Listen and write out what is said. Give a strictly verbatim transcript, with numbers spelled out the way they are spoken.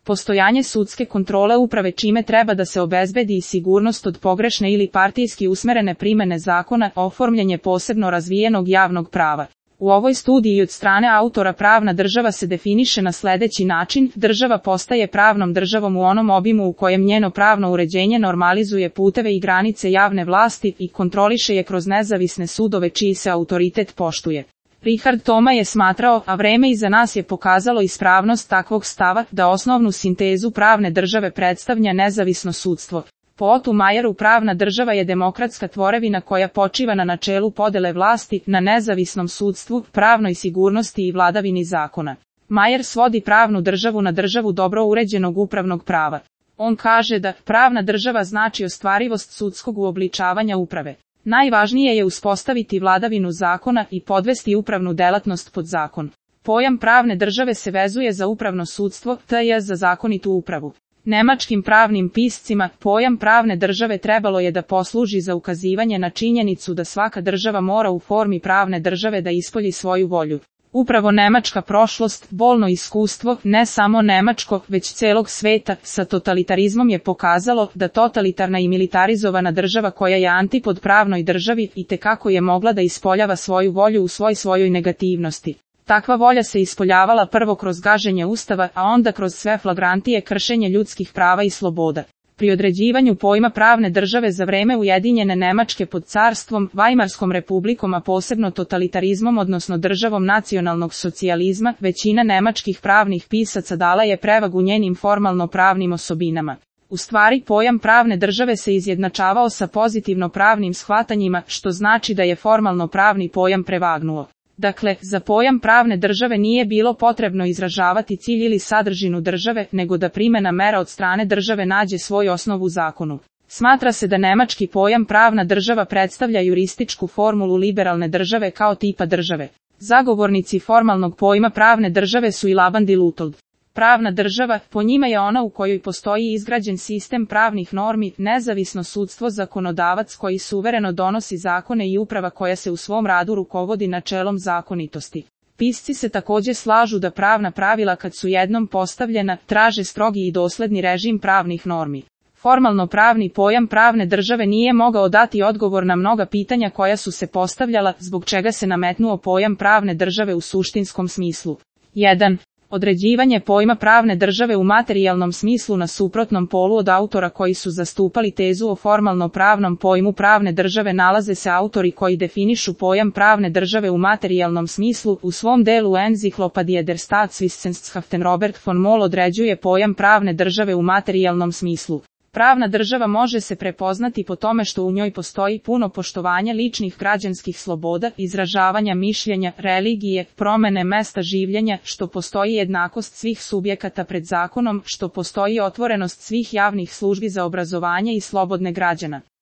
postojanje sudske kontrole uprave čime treba da se obezbedi i sigurnost od pogrešne ili partijski usmerene primene zakona, oformljenje posebno razvijenog javnog prava. U ovoj studiji od strane autora pravna država se definiše na sledeći način: država postaje pravnom državom u onom obimu u kojem njeno pravno uređenje normalizuje puteve i granice javne vlasti i kontroliše je kroz nezavisne sudove čiji se autoritet poštuje. Richard Toma je smatrao, a vreme iza nas je pokazalo ispravnost takvog stava, da osnovnu sintezu pravne države predstavlja nezavisno sudstvo. Po Ottu Majeru pravna država je demokratska tvorevina koja počiva na načelu podele vlasti, na nezavisnom sudstvu, pravnoj sigurnosti i vladavini zakona. Majer svodi pravnu državu na državu dobro uređenog upravnog prava. On kaže da pravna država znači ostvarivost sudskog uobličavanja uprave. Najvažnije je uspostaviti vladavinu zakona i podvesti upravnu delatnost pod zakon. Pojam pravne države se vezuje za upravno sudstvo, to je za zakonitu upravu. Nemačkim pravnim piscima pojam pravne države trebalo je da posluži za ukazivanje na činjenicu da svaka država mora u formi pravne države da ispolji svoju volju. Upravo nemačka prošlost, bolno iskustvo, ne samo nemačko, već celog sveta, sa totalitarizmom je pokazalo da totalitarna i militarizovana država koja je antipod pravnoj državi itekako je mogla da ispoljava svoju volju u svoj svojoj negativnosti. Takva volja se ispoljavala prvo kroz gaženje ustava, a onda kroz sve flagrantije kršenje ljudskih prava i sloboda. Pri određivanju pojma pravne države za vreme Ujedinjene Nemačke pod carstvom, Vajmarskom republikom, a posebno totalitarizmom odnosno državom nacionalnog socijalizma, većina nemačkih pravnih pisaca dala je prevagu njenim formalno pravnim osobinama. U stvari, pojam pravne države se izjednačavao sa pozitivno pravnim shvatanjima, što znači da je formalno pravni pojam prevagnuo. Dakle, za pojam pravne države nije bilo potrebno izražavati cilj ili sadržinu države, nego da primena mera od strane države nađe svoj osnov u zakonu. Smatra se da nemački pojam pravna država predstavlja jurističku formulu liberalne države kao tipa države. Zagovornici formalnog pojma pravne države su i Laban de Luthold. Pravna država, po njima je ona u kojoj postoji izgrađen sistem pravnih normi, nezavisno sudstvo, zakonodavac koji suvereno donosi zakone i uprava koja se u svom radu rukovodi načelom zakonitosti. Pisci se takođe slažu da pravna pravila kad su jednom postavljena, traže strogi i dosledni režim pravnih normi. Formalno pravni pojam pravne države nije mogao dati odgovor na mnoga pitanja koja su se postavljala, zbog čega se nametnuo pojam pravne države u suštinskom smislu. jedan. Određivanje pojma pravne države u materijalnom smislu na suprotnom polu od autora koji su zastupali tezu o formalno pravnom pojmu pravne države nalaze se autori koji definišu pojam pravne države u materijalnom smislu. U svom delu Enzyklopädie der Staatswissenschaften Robert von Moll određuje pojam pravne države u materijalnom smislu. Pravna država može se prepoznati po tome što u njoj postoji puno poštovanje ličnih građanskih sloboda, izražavanja mišljenja, religije, promene mesta življenja, što postoji jednakost svih subjekata pred zakonom, što postoji otvorenost svih javnih službi za obrazovanje i slobodne građana.